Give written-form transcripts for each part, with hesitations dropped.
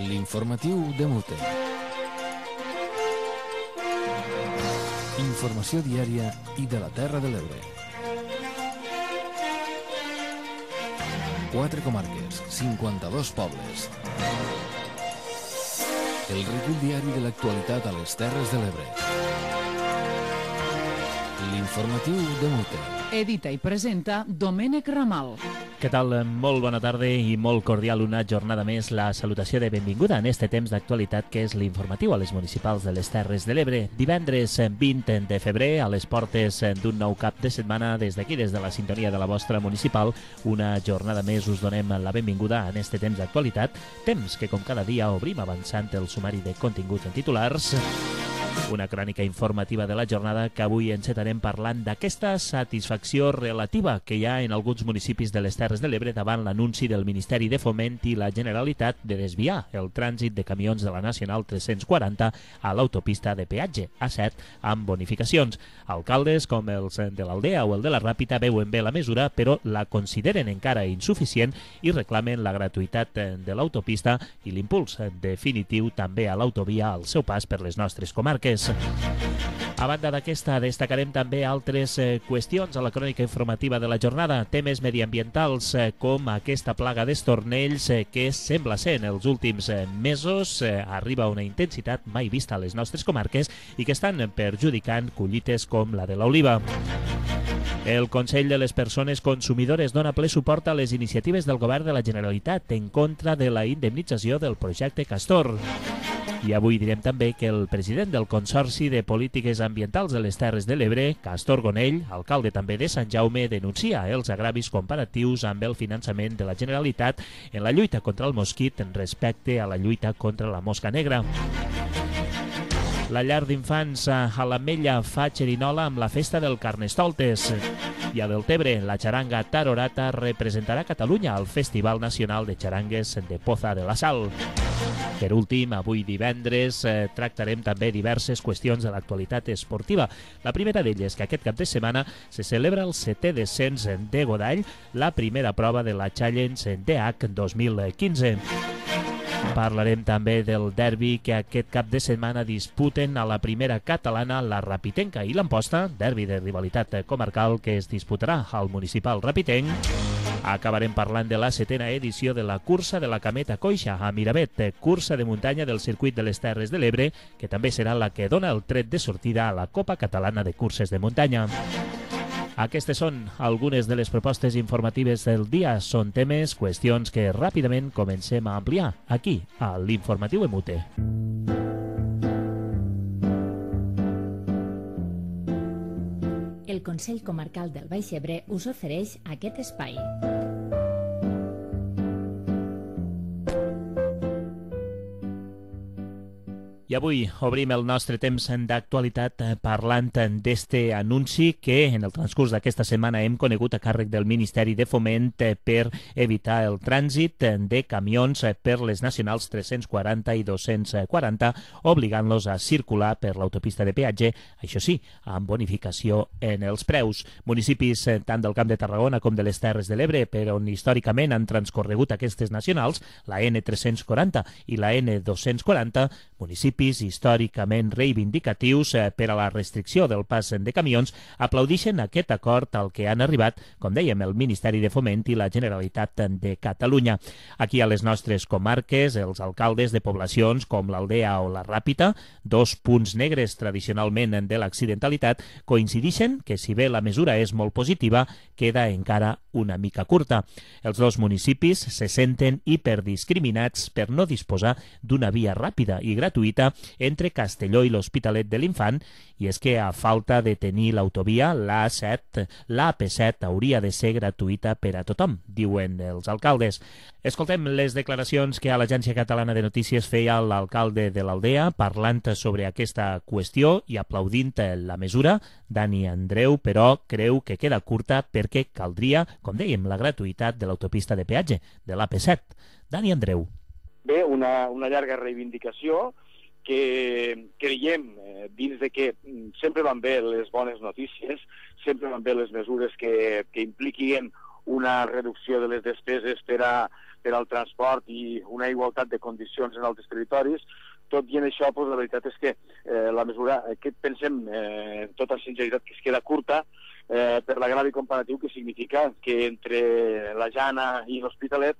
L'informatiu de Mute. Informació diària i de la Terra de l'Ebre. 4 comarques, 52 pobles. El recull diari de l'actualitat a les Terres de l'Ebre. L'informatiu de Mute. Edita i presenta Domènec Ramal. Què tal? Molt bona tarda i molt cordial una jornada més. La salutació de benvinguda en este temps d'actualitat que és l'informatiu a les municipals de les Terres de l'Ebre. Divendres 20 de febrer, a les portes d'un nou cap de setmana, des d'aquí, des de la sintonia de la vostra municipal, una jornada més us donem la benvinguda en este temps d'actualitat, temps que com cada dia obrim avançant el sumari de continguts en titulars. Una crònica informativa de la jornada que avui encetarem parlant d'aquesta satisfacció relativa que hi ha en alguns municipis de les Terres de l'Ebre davant l'anunci del Ministeri de Foment i la Generalitat de desviar el trànsit de camions de la Nacional 340 a l'autopista de peatge A7 amb bonificacions. Alcaldes com els de l'Aldea o el de la Ràpita veuen bé la mesura, però la consideren encara insuficient i reclamen la gratuïtat de l'autopista i l'impuls definitiu també a l'autovia al seu pas per les nostres comarques. A banda d'aquesta, destacarem també altres qüestions a la crònica informativa de la jornada, temes mediambientals com aquesta plaga d'estornells que sembla ser en els últims mesos arriba a una intensitat mai vista a les nostres comarques i que estan perjudicant collites com la de l'oliva. El Consell de les Persones Consumidores dona ple suport a les iniciatives del Govern de la Generalitat en contra de la indemnització del projecte Castor. I avui direm també que el president del Consorci de Polítiques Ambientals de les Terres de l'Ebre, Castor Gonell, alcalde també de Sant Jaume, denuncia els agravis comparatius amb el finançament de la Generalitat en la lluita contra el mosquit respecte a la lluita contra la mosca negra. La llar d'infants a l'Ametlla fa xerinola amb la festa del Carnestoltes. I a Deltebre, la xaranga Tarorata representarà Catalunya al Festival Nacional de Xarangues de Poza de la Sal. Per últim, avui divendres tractarem també diverses qüestions de l'actualitat esportiva. La primera d'elles que aquest cap de setmana se celebra el 7è descens de Godall, la primera prova de la Challenge DH 2015. Parlarem també del derbi que aquest cap de setmana disputen a la primera catalana la Rapitenca i l'Amposta, derbi de rivalitat comarcal que es disputarà al municipal rapitenc. Acabarem parlant de la 7a edició de la cursa de la Cameta Coixa a Miravet, cursa de muntanya del circuit de les Terres de l'Ebre, que també serà la que dona el tret de sortida a la Copa Catalana de Curses de Muntanya. Aquestes són algunes de les propostes informatives del dia. Són temes, qüestions que ràpidament comencem a ampliar aquí, a l'Informatiu Emute. El Consell Comarcal del Baix Ebre us ofereix aquest espai. I avui obrim el nostre temps d'actualitat parlant d'este anunci que en el transcurs d'aquesta setmana hem conegut a càrrec del Ministeri de Foment per evitar el trànsit de camions per les nacionals 340 i 240, obligant-los a circular per l'autopista de peatge, això sí, amb bonificació en els preus. Municipis tant del Camp de Tarragona com de les Terres de l'Ebre, per on històricament han transcorregut aquestes nacionals, la N340 i la N240, municipis històricament reivindicatius per a la restricció del pas de camions, aplaudixen aquest acord al que han arribat, com dèiem, el Ministeri de Foment i la Generalitat de Catalunya. Aquí a les nostres comarques, els alcaldes de poblacions com l'Aldea o la Ràpita, dos punts negres tradicionalment de l'accidentalitat, coincidixen que si bé la mesura és molt positiva, queda encara una mica curta. Els dos municipis se senten hiperdiscriminats per no disposar d'una via ràpida i gratuïta entre Castelló i l'Hospitalet de l'Infant, i és que a falta de tenir l'autovia, l'A7, l'AP7 hauria de ser gratuïta per a tothom, diuen els alcaldes. Escoltem les declaracions que a l'Agència Catalana de Notícies feia l'alcalde de l'Aldea parlant sobre aquesta qüestió i aplaudint la mesura. Dani Andreu, però, creu que queda curta perquè caldria, com dèiem, la gratuïtat de l'autopista de peatge, de l'AP7. Dani Andreu. Bé, una llarga reivindicació que creiem dins de que sempre van bé les bones notícies, sempre van bé les mesures que impliquin una reducció de les despeses per a per al transport i una igualtat de condicions en altres territoris. Tot i en això, la veritat és que la mesura que pensem, en tota sinceritat, que es queda curta per l'agravi comparatiu que significa que entre la Jana i l'Hospitalet,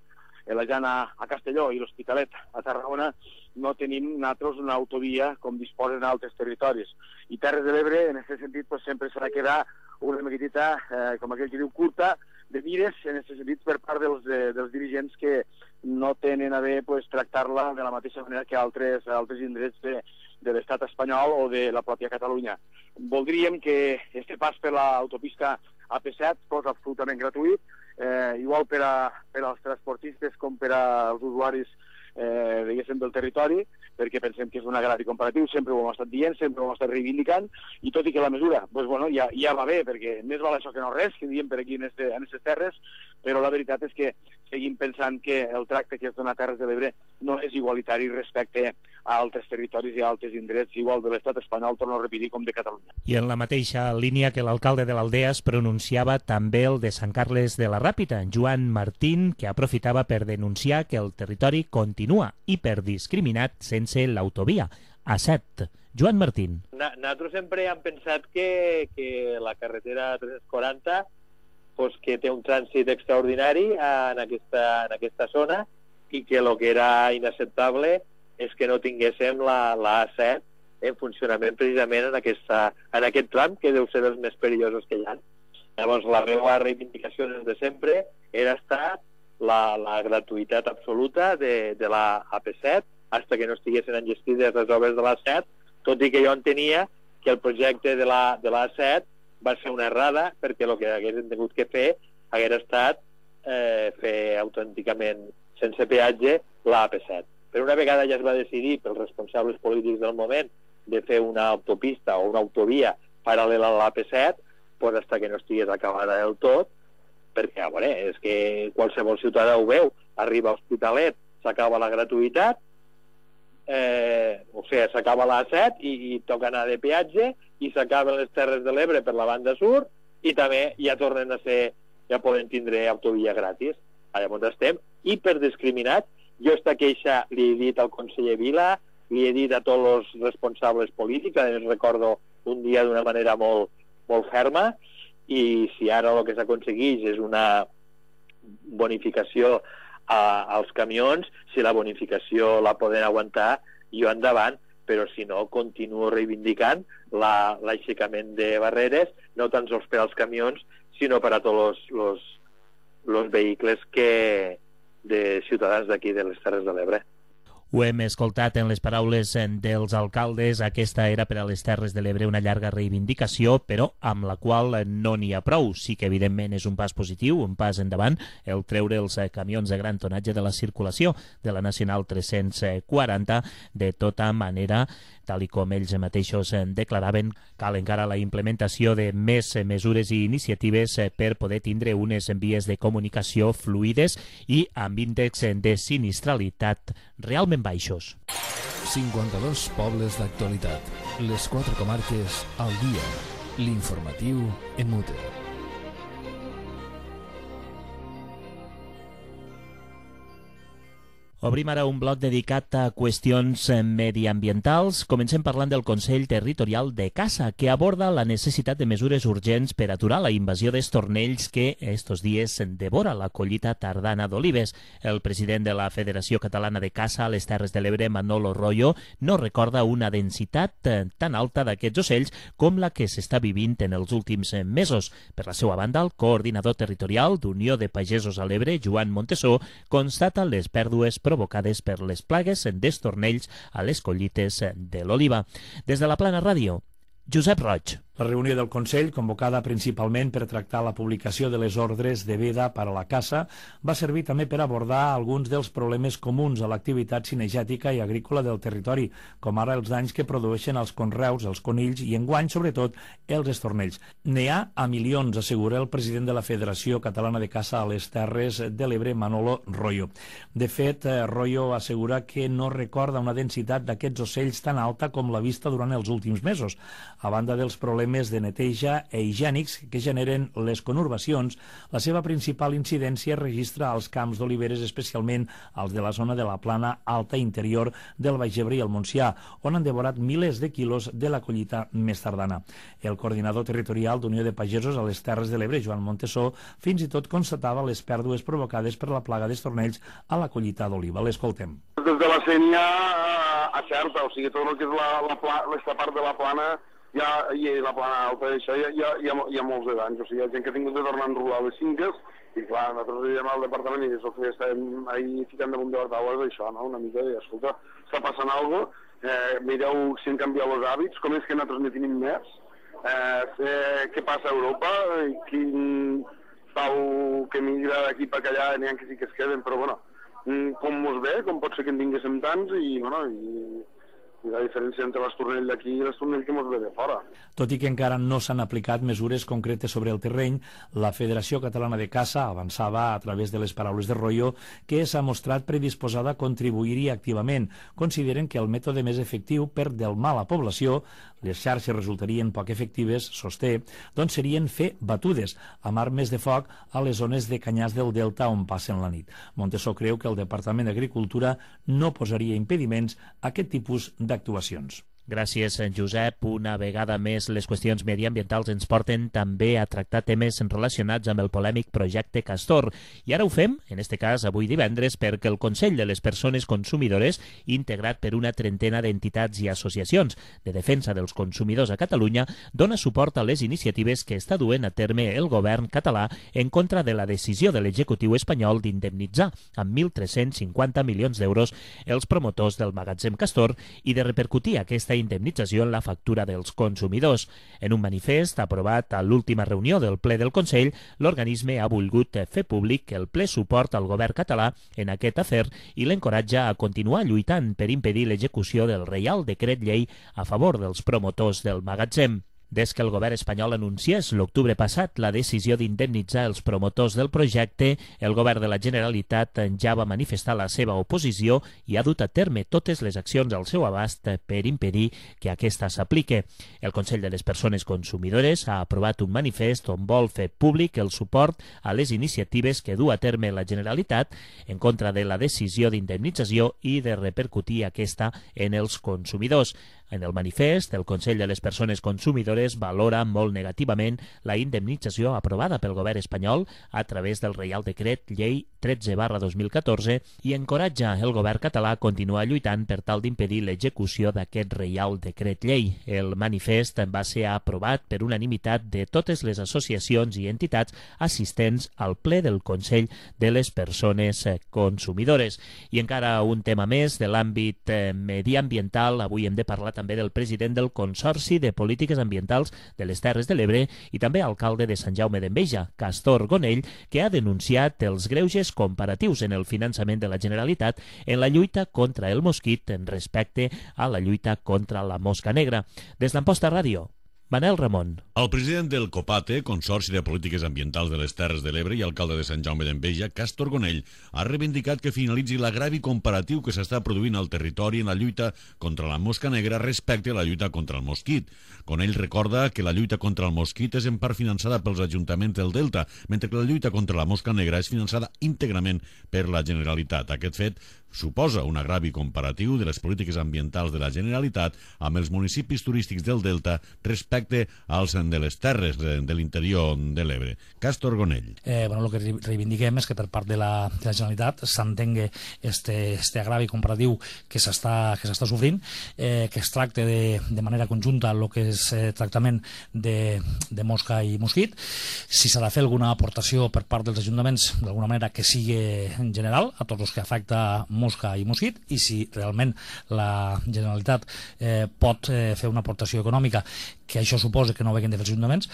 la Jana a Castelló i l'Hospitalet a Tarragona, no tenim nosaltres una autovia com disposen altres territoris. I Terres de l'Ebre, en aquest sentit, sempre s'ha de quedar una miquetita, com aquell que diu, curta, de mires, en aquest sentit, per part dels dirigents que no tenen a bé tractar-la de la mateixa manera que altres indrets de l'estat espanyol o de la pròpia Catalunya. Voldríem que este pas per l'autopista AP7 fos absolutament gratuït, igual per als transportistes com per als usuaris diguéssim del territori, perquè pensem que és un agrari comparatiu, sempre ho hem estat dient, sempre ho hem estat reivindicant, i tot i que la mesura ja va bé, perquè més val això que no res, que diem per aquí en aquestes terres, però la veritat és que seguim pensant que el tracte que es dona a Terres de l'Ebre no és igualitari respecte a altres territoris i a altres indrets, igual de l'estat espanyol, torno a repetir, com de Catalunya. I en la mateixa línia que l'alcalde de l'Aldea es pronunciava també el de Sant Carles de la Ràpita, Joan Martín, que aprofitava per denunciar que el territori continua hiperdiscriminat sense l'autovia A7. Joan Martín. Nosaltres sempre hem pensat que la carretera 340 que té un trànsit extraordinari en aquesta zona i que el que era inacceptable és que no tinguéssim la A7 en funcionament precisament en aquest tram, que deu ser dels més perillosos que hi ha. Llavors, la meva reivindicació des de sempre era estar la gratuïtat absoluta de la AP7 fins que no estiguessin enllestides les obres de l'A7, tot i que jo entenia que el projecte de la A7 va ser una errada, perquè el que haguessin tingut que fer hagués estat fer autènticament sense peatge la AP7. Però una vegada ja es va decidir pels responsables polítics del moment de fer una autopista o una autovia paral·lela a l'AP7, fins que no estigués acabada del tot, perquè, a veure, és que qualsevol ciutadà ho veu, arriba a Hospitalet, s'acaba la gratuïtat, s'acaba l'A7 i toca anar de peatge, i s'acaben les Terres de l'Ebre per la banda sud, i també ja tornen a ser, ja poden tindre autovia gratis. Llavors estem hiperdiscriminats. Jo esta queixa li he dit al conseller Vila, li he dit a tots els responsables polítics, a més recordo un dia d'una manera molt, molt ferma, i si ara el que s'aconsegueix és una bonificació als camions, si la bonificació la poden aguantar, jo endavant, però si no, continuo reivindicant l'aixecament de barreres, no tan sols per als camions, sinó per a tots els vehicles de ciutadans d'aquí de les Terres de l'Ebre. Ho hem escoltat en les paraules dels alcaldes. Aquesta era per a les Terres de l'Ebre una llarga reivindicació, però amb la qual no n'hi ha prou. Sí que, evidentment, és un pas positiu, un pas endavant, el treure els camions de gran tonatge de la circulació de la Nacional 340. De tota manera, tal com ells mateixos declaraven, cal encara la implementació de més mesures i iniciatives per poder tindre unes vies de comunicació fluides i amb índex de sinistralitat realment baixos. 52 pobles d'actualitat. Les 4 comarques al dia. L'informatiu en Mute. Obrim ara un bloc dedicat a qüestions mediambientals. Comencem parlant del Consell Territorial de Caça, que aborda la necessitat de mesures urgents per aturar la invasió d'estornells que estos dies devora la collita tardana d'olives. El president de la Federació Catalana de Caça a les Terres de l'Ebre, Manolo Royo, no recorda una densitat tan alta d'aquests ocells com la que s'està vivint en els últims mesos. Per la seva banda, el coordinador territorial d'Unió de Pagesos a l'Ebre, Joan Montesó, constata les pèrdues provocades per les plagues d'estornells a les collites de l'oliva. Des de la Plana Ràdio, Josep Roig. La reunió del Consell, convocada principalment per tractar la publicació de les ordres de veda per a la caça, va servir també per abordar alguns dels problemes comuns a l'activitat cinegètica i agrícola del territori, com ara els danys que produeixen els conreus, els conills i, enguany, sobretot, els estornells. N'hi ha a milions, assegura el president de la Federació Catalana de Caça a les Terres de l'Ebre, Manolo Royo. De fet, Royo assegura que no recorda una densitat d'aquests ocells tan alta com la vista durant els últims mesos. A banda dels problemes problemes de neteja e higiènics que generen les conurbacions, la seva principal incidència es registra als camps d'oliveres, especialment als de la zona de la plana alta interior del Baix Ebre i el Montsià, on han devorat milers de quilos de la collita més tardana. El coordinador territorial d'Unió de Pagesos a les Terres de l'Ebre, Joan Montesó, fins i tot constatava les pèrdues provocades per la plaga d'estornells a la collita d'oliva. L'escoltem. Des de la Sénia a Xerta, o sigui, tot el que és aquesta part de la plana i la plana alta, això hi ha molts d'anys. O sigui, hi ha gent que ha tingut de tornar a enrolar les finques i, clar, nosaltres diem al departament i és el que estem ahí ficant damunt de la taula, és això, no? Una mica de, escolta, està passant alguna cosa, mireu si han canviat els hàbits, com és que nosaltres ne tenim més, què passa a Europa, quin pau que migra d'aquí per allà, n'hi ha que sí que es queden, però, bueno, com mos ve, com pot ser que en tinguéssim tants i, bueno, i la diferència entre l'estornell d'aquí i l'estornell que mos ve de fora. Tot i que encara no s'han aplicat mesures concretes sobre el terreny, la Federació Catalana de Caça avançava a través de les paraules de Royo que s'ha mostrat predisposada a contribuir-hi activament. Consideren que el mètode més efectiu per delmar la població, les xarxes resultarien poc efectives, sosté, doncs serien fer batudes amb armes de foc a les zones de canyars del Delta on passen la nit. Montesó creu que el Departament d'Agricultura no posaria impediments a aquest tipus d'actuacions. Gràcies, Josep. Una vegada més, les qüestions mediambientals ens porten també a tractar temes relacionats amb el polèmic projecte Castor. I ara ho fem, en este cas avui divendres, perquè el Consell de les Persones Consumidores, integrat per una trentena d'entitats i associacions de defensa dels consumidors a Catalunya, dona suport a les iniciatives que està duent a terme el govern català en contra de la decisió de l'executiu espanyol d'indemnitzar amb 1.350 milions d'euros els promotors del magatzem Castor i de repercutir aquesta indemnització en la factura dels consumidors. En un manifest aprovat a l'última reunió del ple del Consell, l'organisme ha volgut fer públic el ple suport al govern català en aquest afer i l'encoratja a continuar lluitant per impedir l'execució del Reial Decret Llei a favor dels promotors del magatzem. Des que el govern espanyol anunciés l'octubre passat la decisió d'indemnitzar els promotors del projecte, el govern de la Generalitat ja va manifestar la seva oposició i ha dut a terme totes les accions al seu abast per impedir que aquesta s'aplique. El Consell de les Persones Consumidores ha aprovat un manifest on vol fer públic el suport a les iniciatives que du a terme la Generalitat en contra de la decisió d'indemnització i de repercutir aquesta en els consumidors. En el manifest, el Consell de les Persones Consumidores valora molt negativament la indemnització aprovada pel govern espanyol a través del Reial Decret Llei 13/2014 i encoratja el govern català a continuar lluitant per tal d'impedir l'execució d'aquest Reial Decret Llei. El manifest va ser aprovat per unanimitat de totes les associacions i entitats assistents al ple del Consell de les Persones Consumidores. I encara un tema més de l'àmbit mediambiental. Avui hem de parlar també del president del Consorci de Polítiques Ambientals de les Terres de l'Ebre i també alcalde de Sant Jaume d'Enveja, Castor Gonell, que ha denunciat els greuges comparatius en el finançament de la Generalitat en la lluita contra el mosquit en respecte a la lluita contra la mosca negra. Des d'Amposta Ràdio, Manel Ramon. El president del COPATE, Consorci de Polítiques Ambientals de les Terres de l'Ebre i alcalde de Sant Jaume d'Enveja, Castor Gonell, ha reivindicat que finalitzi l'agravi comparatiu que s'està produint al territori en la lluita contra la mosca negra respecte a la lluita contra el mosquit. Gonell recorda que la lluita contra el mosquit és en part finançada pels ajuntaments del Delta, mentre que la lluita contra la mosca negra és finançada íntegrament per la Generalitat. Aquest fet suposa un agravi comparatiu de les polítiques ambientals de la Generalitat amb els municipis turístics del Delta respecte als de les terres de l'interior de l'Ebre. Castor Gonell. El que reivindiquem és que per part de la Generalitat s'entengui este agravi comparatiu que s'està sofrint, que es tracte de manera conjunta el que és tractament de mosca i mosquit. Si s'ha de fer alguna aportació per part dels ajuntaments, d'alguna manera que sigui en general, a tots els que afecta mosca i mosquit, i si realment la Generalitat pot fer una aportació econòmica que això suposa que no ho hagin de fer els ajuntaments,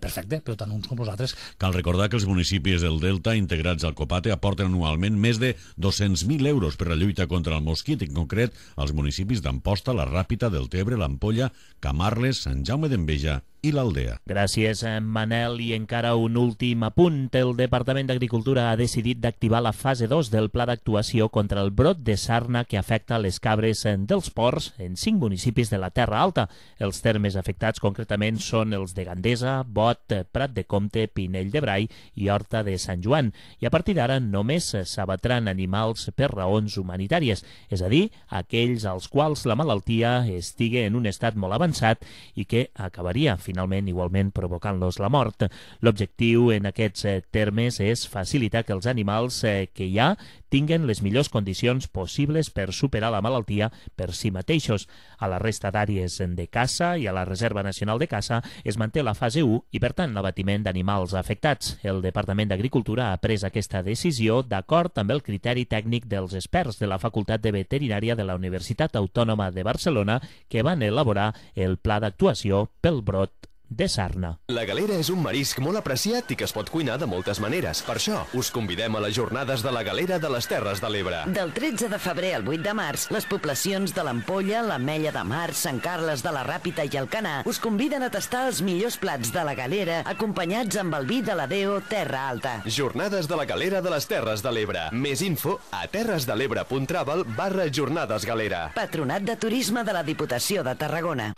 perfecte, però tant uns com els altres. Cal recordar que els municipis del Delta integrats al COPATE aporten anualment més de 200.000 euros per la lluita contra el mosquit, en concret els municipis d'Amposta, la Ràpita, Deltebre, l'Ampolla, Camarles, Sant Jaume d'Enveja i l'Aldea. Gràcies, Manel. I encara un últim apunt. El Departament d'Agricultura ha decidit d'activar la fase 2 del pla d'actuació contra el brot de sarna que afecta les cabres dels ports en 5 municipis de la Terra Alta. Els termes afectats afectats concretament són els de Gandesa, Bot, Prat de Comte, Pinell de Brai i Horta de Sant Joan, i a partir d'ara només s'abatran animals per raons humanitàries, és a dir, aquells als quals la malaltia estigui en un estat molt avançat i que acabaria finalment igualment provocant-los la mort. L'objectiu en aquests termes és facilitar que els animals que hi ha tinguen les millors condicions possibles per superar la malaltia per si mateixos. A la resta d'àrees de caça i a la Reserva Nacional de Caça es manté la fase 1 i, per tant, l'abatiment d'animals afectats. El Departament d'Agricultura ha pres aquesta decisió d'acord amb el criteri tècnic dels experts de la Facultat de Veterinària de la Universitat Autònoma de Barcelona que van elaborar el pla d'actuació pel brot de sarna. La galera és un marisc molt apreciat i que es pot cuinar de moltes maneres. Per això, us convidem a les jornades de la galera de les Terres de l'Ebre. Del 13 de febrer al 8 de març, les poblacions de l'Ampolla, l'Ametlla de Mar, Sant Carles de la Ràpita i Alcanar us conviden a tastar els millors plats de la galera acompanyats amb el vi de la Deo Terra Alta. Jornades de la galera de les Terres de l'Ebre. Més info a terresdelebre.travel/jornadesgalera. Patronat de Turisme de la Diputació de Tarragona.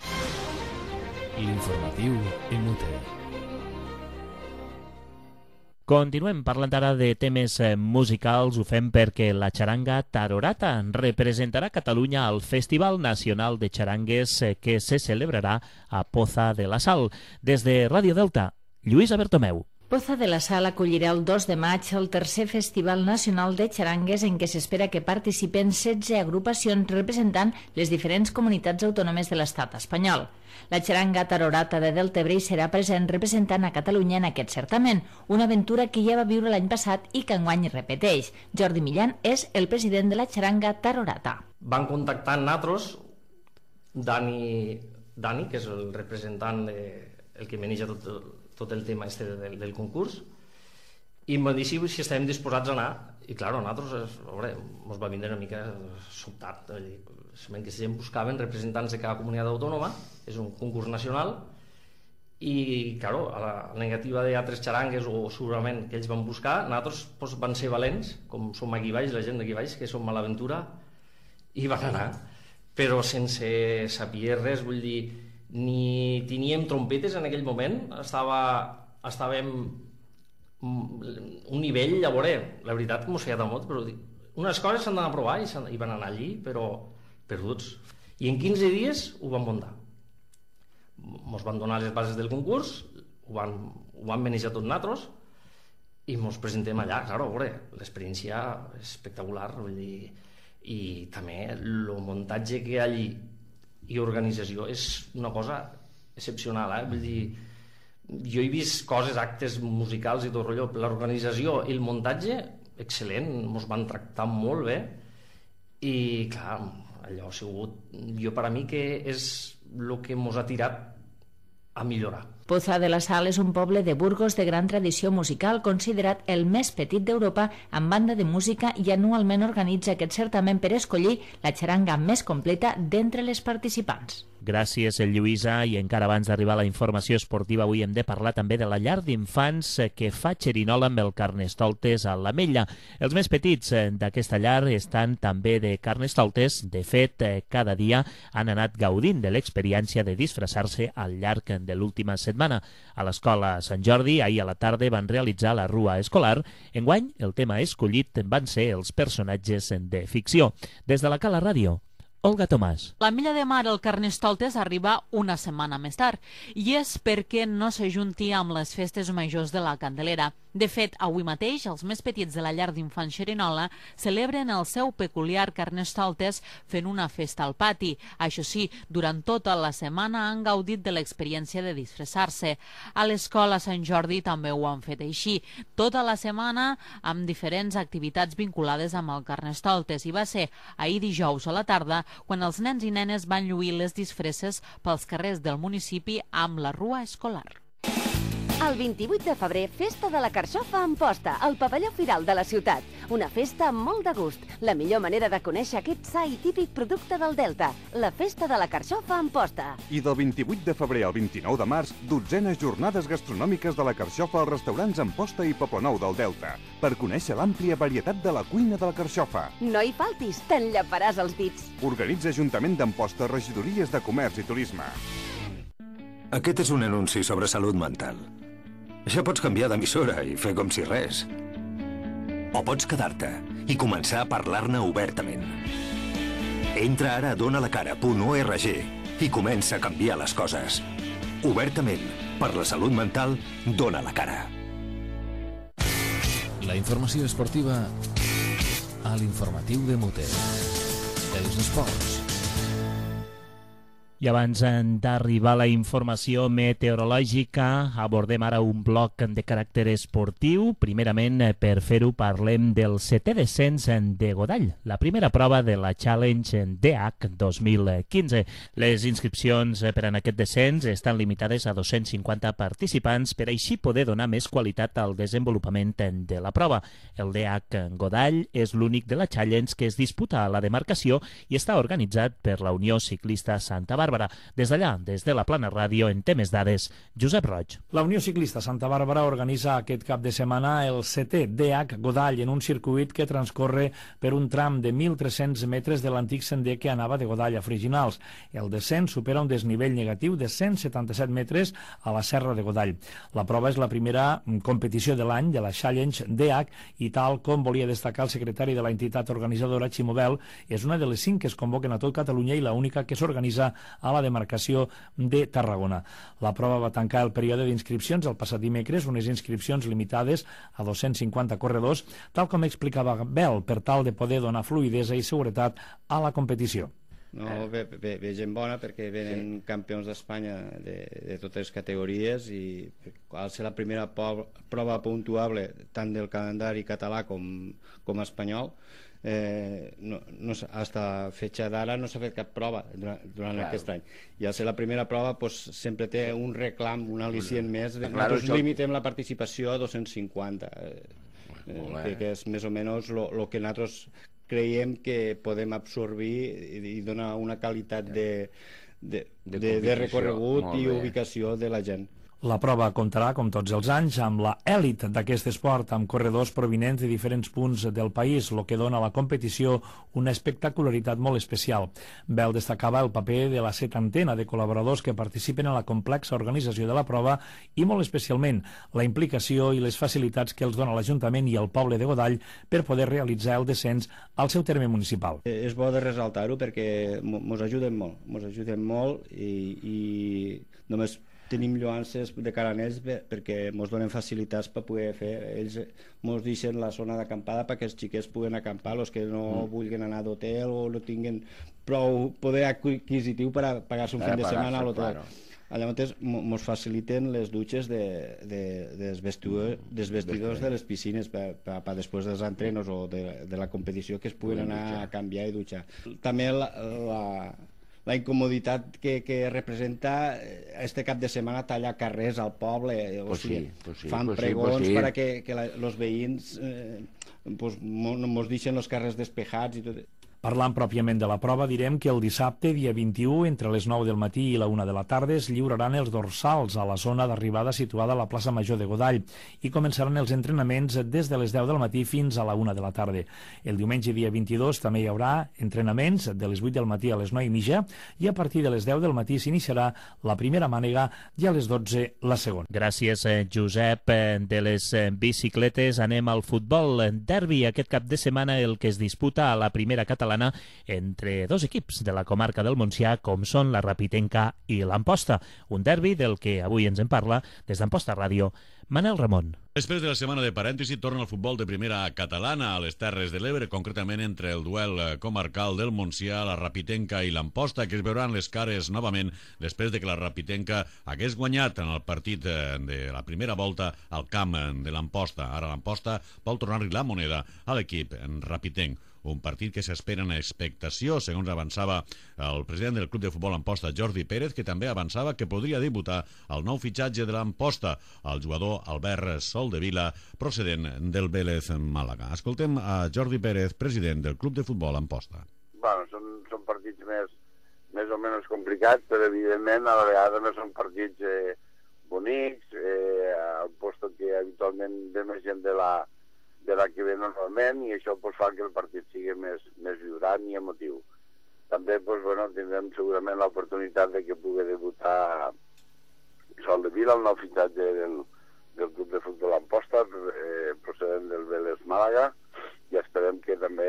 L'informatiu Inútil. Continuem parlant ara de temes musicals. Ho fem perquè la xaranga Tarorata representarà Catalunya al Festival Nacional de Xarangues que se celebrarà a Poza de la Sal. Des de Ràdio Delta, Lluïsa Bertomeu. Poza de la Sal acollirà el 2 de maig el tercer Festival Nacional de Xarangues en què s'espera que participen 16 agrupacions representant les diferents comunitats autònomes de l'estat espanyol. La xaranga Tarorata de Deltebre serà present representant a Catalunya en aquest certamen, una aventura que ja va viure l'any passat i que enguany repeteix. Jordi Millán és el president de la xaranga Tarorata. Van contactar amb nosaltres Dani, que és el representant, el que maneja tot el tema del concurs, i em va dir si estàvem disposats a anar. I clar, a nosaltres ens va vindre una mica sobtat. Que si buscaven representants de cada comunitat autònoma, és un concurs nacional, i clar, a la negativa d'altres xarangues o segurament que ells van buscar, nosaltres van ser valents, com som aquí baix, la gent d'aquí baix, que som a l'aventura, i van anar. Però sense saber res, vull dir, ni teníem trompetes en aquell moment, estàvem un nivell, a veure, la veritat que mos feia de mot, però unes coses s'han d'anar a provar i van anar allí, però perduts. I en 15 dies ho van muntar. Mos van donar les bases del concurs, ho van manejar tots nosaltres i mos presentem allà. Claro, a veure, l'experiència és espectacular, vull dir, i també el muntatge que hi ha allí i organització és una cosa excepcional, vull dir, jo he vist coses, actes musicals i tot rotllo, l'organització i el muntatge, excel·lent, ens van tractar molt bé i clar, allò ha sigut, jo per a mi que és el que ens ha tirat a millorar. Poza de la Sal és un poble de Burgos de gran tradició musical, considerat el més petit d'Europa amb banda de música, i anualment organitza aquest certamen per escollir la xaranga més completa d'entre les participants. Gràcies, Lluïsa. I encara abans d'arribar a la informació esportiva, avui hem de parlar també de la llar d'infants que fa xerinola amb el Carnestoltes a l'Ametlla. Els més petits d'aquesta llar estan també de Carnestoltes. De fet, cada dia han anat gaudint de l'experiència de disfressar-se al llarg de l'última setmana. A l'escola Sant Jordi, ahir a la tarda, van realitzar la rua escolar. Enguany, el tema escollit van ser els personatges de ficció. Des de la Cala Ràdio, Olga Tomàs. L'Ametlla de Mar al Carnestoltes arriba una setmana més tard, i és perquè no s'ajunti amb les festes majors de la Candelera. De fet, avui mateix, els més petits de la llar d'infants Xerinola celebren el seu peculiar Carnestoltes fent una festa al pati. Això sí, durant tota la setmana han gaudit de l'experiència de disfressar-se. A l'escola Sant Jordi també ho han fet així. Tota la setmana amb diferents activitats vinculades amb el Carnestoltes, i va ser ahir dijous a la tarda quan els nens i nenes van lluir les disfresses pels carrers del municipi amb la rua escolar. El 28 de febrer, Festa de la Carxofa a Amposta, al pavelló Firal de la ciutat. Una festa amb molt de gust. La millor manera de conèixer aquest sa i típic producte del Delta. La Festa de la Carxofa a Amposta. I del 28 de febrer al 29 de març, 12enes jornades gastronòmiques de la Carxofa als restaurants Amposta i Poblenou del Delta, per conèixer l'àmplia varietat de la cuina de la Carxofa. No hi faltis, t'enllaparàs els dits. Organitza Ajuntament d'Amposta, Regidories de Comerç i Turisme. Aquest és un anunci sobre salut mental. Ja pots canviar d'emissora i fer com si res. O pots quedar-te i començar a parlar-ne obertament. Entra ara a donalacara.org i comença a canviar les coses. Obertament, per la salut mental, dona la cara. La informació esportiva a l'informatiu de Muter. Els esports. I abans d'arribar a la informació meteorològica, abordem ara un bloc de caràcter esportiu. Primerament, per fer-ho, parlem del 7è descens de Godall, la primera prova de la Challenge DH 2015. Les inscripcions per a aquest descens estan limitades a 250 participants per així poder donar més qualitat al desenvolupament de la prova. El DH Godall és l'únic de la Challenge que es disputa a la demarcació i està organitzat per la Unió Ciclista Santa Bàrbara. Des d'allà, des de la Plana Ràdio, en té més dades, Josep Roig. La Unió Ciclista Santa Bàrbara organitza aquest cap de setmana el 7è DH Godall en un circuit que transcorre per un tram de 1.300 metres de l'antic sender que anava de Godall a Freginals. El descens supera un desnivell negatiu de 177 metres a la serra de Godall. La prova és la primera competició de l'any de la Challenge DH i, tal com volia destacar el secretari de la entitat organitzadora, Ximo Bel, és una de les 5 que es convoquen a tot Catalunya i l'única que s'organitza a la demarcació de Tarragona. La prova va tancar el període d'inscripcions el passat dimecres, unes inscripcions limitades a 250 corredors, tal com explicava Bel, per tal de poder donar fluïdesa i seguretat a la competició. No, ve gent bona perquè venen campions d'Espanya de totes les categories i al ser la primera prova puntuable tant del calendari català com espanyol, hasta fecha d'ara no s'ha fet cap prova durant aquest any, i al ser la primera prova sempre té un reclam, un al·licient més. Nosaltres limitem la participació a 250, que és més o menys el que nosaltres creiem que podem absorbir i donar una qualitat de recorregut i ubicació de la gent. La prova comptarà, com tots els anys, amb la èlit d'aquest esport, amb corredors provinents de diferents punts del país, el que dona a la competició una espectacularitat molt especial. Bel destacava el paper de la setantena de col·laboradors que participen en la complexa organització de la prova i, molt especialment, la implicació i les facilitats que els dona l'Ajuntament i el poble de Godall per poder realitzar el descens al seu terme municipal. És bo de resaltar-ho perquè ens ajuden molt i només tenim lloances de cara a ells perquè ens donen facilitats per poder fer. Ells ens deixen la zona d'acampada perquè els xiquets puguen acampar, els que no vulguin anar d'hotel o no tinguin prou poder adquisitiu per a pagar-se un fin de setmana a l'hotel. Llavors ens faciliten les dutxes dels vestidors de les piscines per després dels entrenos o de la competició que es puguen anar a canviar i dutxar. També la incomoditat que representa este cap de setmana tallar carrers al poble, fan pregons perquè els veïns ens deixen els carrers despejats i tot. Parlant pròpiament de la prova, direm que el dissabte, dia 21, entre les 9 del matí i la 1 de la tarda, es lliuraran els dorsals a la zona d'arribada situada a la plaça Major de Godall i començaran els entrenaments des de les 10 del matí fins a la 1 de la tarda. El diumenge, dia 22, també hi haurà entrenaments de les 8 del matí a les 9 i mitja i a partir de les 10 del matí s'iniciarà la primera mànega i a les 12 la segona. Gràcies, Josep. De les bicicletes anem al futbol. Derbi aquest cap de setmana, el que es disputa a la primera catalana entre dos equips de la comarca del Montsià com són la Rapitenca i l'Amposta. Un derbi del que avui ens en parla des d'Amposta Ràdio, Manel Ramon. Després de la setmana de parèntesi torna el futbol de primera catalana a les Terres de l'Ebre, concretament entre el duel comarcal del Montsià, la Rapitenca i l'Amposta, que es veuran les cares novament després de que la Rapitenca hagués guanyat en el partit de la primera volta al camp de l'Amposta. Ara l'Amposta vol tornar-li la moneda a l'equip rapitenc. Un partit que s'espera en expectació, segons avançava el president del Club de Futbol Amposta, Jordi Pérez, que també avançava que podria debutar el nou fitxatge de l'Amposta, el jugador Albert Soldevila, procedent del Vélez Màlaga. Escoltem a Jordi Pérez, president del Club de Futbol Amposta. Bueno, són partits més o menys complicats, però evidentment a la vegada no són partits bonics, Amposta que habitualment ve més gent de la que ve normalment i això fa que el partit sigui més vibrant i emotiu. També tindrem segurament l'oportunitat de que pugui debutar Sol de Vila, el nou fitxatge del club de futbol Amposta, procedent del Vélez Màlaga, i esperem que també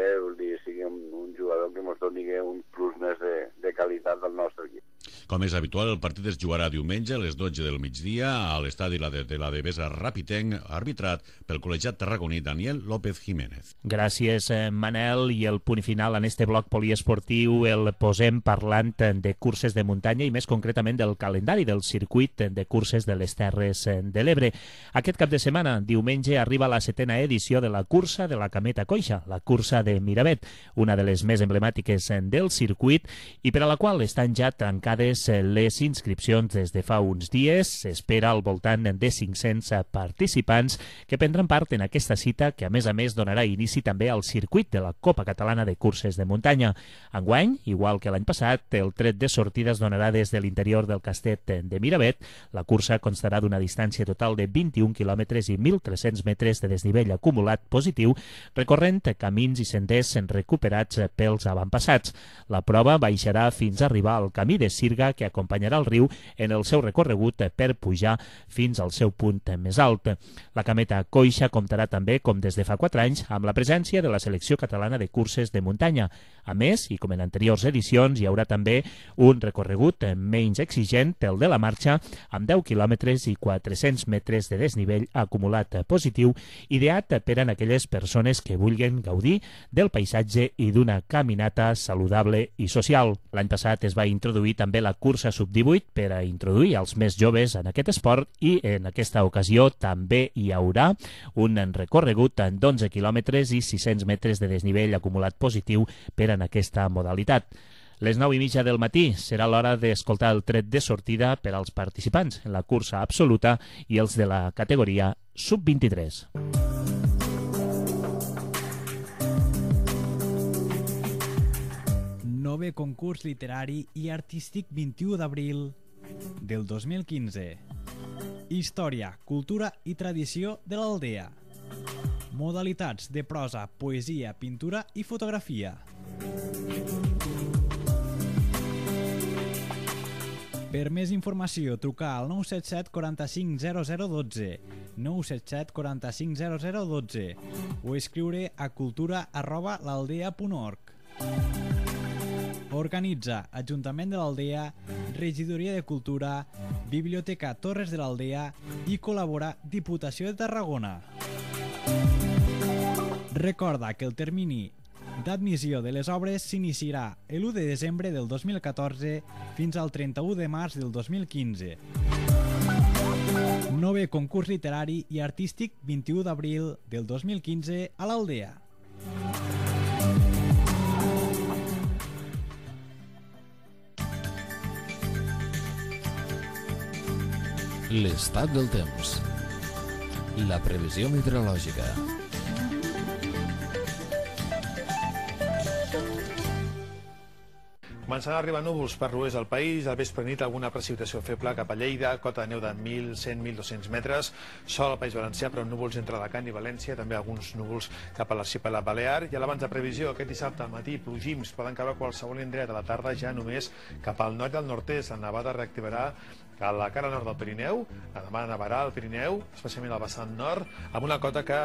sigui un jugador que ens doni un plus més de qualitat del nostre equip. Com és habitual, el partit es jugarà diumenge a les 12 del migdia a l'estadi de la Devesa Rapitenc, arbitrat pel col·legiat tarragoní Daniel López Jiménez. Gràcies, Manel. I el punt final en este bloc poliesportiu el posem parlant de curses de muntanya i més concretament del calendari del circuit de curses de les Terres de l'Ebre. Aquest cap de setmana, diumenge, arriba la 7a edició de la cursa de la Cameta Coixa, la cursa de Miravet, una de les més emblemàtiques del circuit i per a la qual estan ja tancades les inscripcions des de fa uns dies. S'espera al voltant de 500 participants que prendran part en aquesta cita que a més donarà inici també al circuit de la Copa Catalana de Curses de Muntanya. Enguany, igual que l'any passat, el tret de sortida es donarà des de l'interior del Castet de Miravet. La cursa constarà d'una distància total de 21 quilòmetres i 1.300 metres de desnivell acumulat positiu, recorrent camins i senders recuperats pels avantpassats. La prova baixarà fins a arribar al camí de Sirga que acompanyarà el riu en el seu recorregut per pujar fins al seu punt més alt. La Cameta Coixa comptarà també, com des de fa 4 anys, amb la presència de la selecció catalana de curses de muntanya. A més, i com en anteriors edicions, hi haurà també un recorregut menys exigent, el de la marxa, amb 10 quilòmetres i 400 metres de desnivell acumulat positiu, ideat per a aquelles persones que vulguin gaudir del paisatge i d'una caminata saludable i social. L'any passat es va introduir també la cursa sub-18 per a introduir els més joves en aquest esport i en aquesta ocasió també hi haurà un recorregut d'11 quilòmetres i 600 metres de desnivell acumulat positiu per en aquesta modalitat. Les 9:30 del matí serà l'hora d'escoltar el tret de sortida per als participants en la cursa absoluta i els de la categoria sub-23. Nové concurs literari i artístic 21 d'abril del 2015. Història, cultura i tradició de l'Aldea. Modalitats de prosa, poesia, pintura i fotografia. Per més informació, trucar al 977 45 0012, 977 45 0012 o escriure a cultura@l'aldea.org. Organitza Ajuntament de l'Aldea, Regidoria de Cultura, Biblioteca Torres de l'Aldea i col·labora Diputació de Tarragona. Recorda que el termini d'admissió de les obres s'iniciarà l'1 de desembre del 2014 fins al 31 de març del 2015. Nové concurs literari i artístic 21 d'abril del 2015 a l'Aldea. L'estat del temps. La previsió meteorològica. Començaran a arribar núvols per l'oest del país, al vespre nit alguna precipitació feble cap a Lleida, cota de neu de 1.100, 1.200 metres, sol al País Valencià, però núvols entre Alacant i València, també alguns núvols cap a l'arxipèlag Balear, i a l'abans de previsió, aquest dissabte al matí, plogims poden caure a qualsevol indret, a la tarda ja només cap al nord i al nord-est, la nevada reactivarà a la cara nord del Pirineu, demà nevarà al Pirineu, especialment al vessant nord, amb una cota que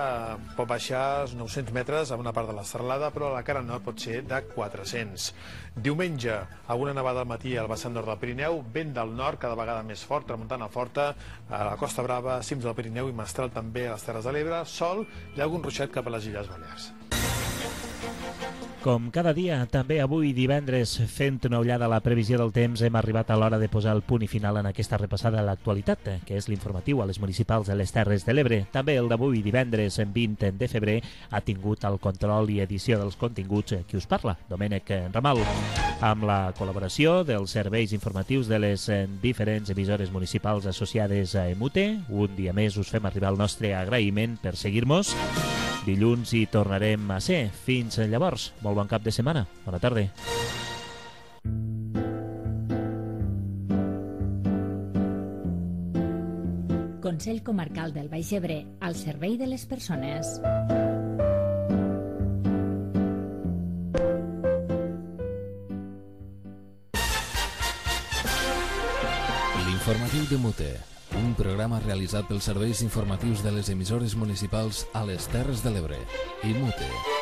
pot baixar als 900 metres a una part de la serralada, però a la cara nord pot ser de 400. Diumenge, alguna nevada al matí al vessant nord del Pirineu, vent del nord, cada vegada més fort, tramuntana forta, a la Costa Brava, cims del Pirineu i mestral també a les Terres de l'Ebre, sol i algun ruixat cap a les Illes Balears. Com cada dia, també avui divendres, fent una ullada a la previsió del temps, hem arribat a l'hora de posar el punt i final en aquesta repassada a l'actualitat, que és l'informatiu a les municipals de les Terres de l'Ebre. També el d'avui divendres, 20 de febrer, ha tingut el control i edició dels continguts qui us parla, Domènec Ramal, amb la col·laboració dels serveis informatius de les diferents emissores municipals associades a EMUTE. Un dia més us fem arribar el nostre agraïment per seguir-nos. Dilluns hi tornarem a ser. Fins llavors, molt bon cap de setmana. Bona tarda. Consell Comarcal del Baix Ebre, al servei de les persones. L'informatiu de Mute. Un programa realitzat pels serveis informatius de les emissores municipals a les Terres de l'Ebre i Mute.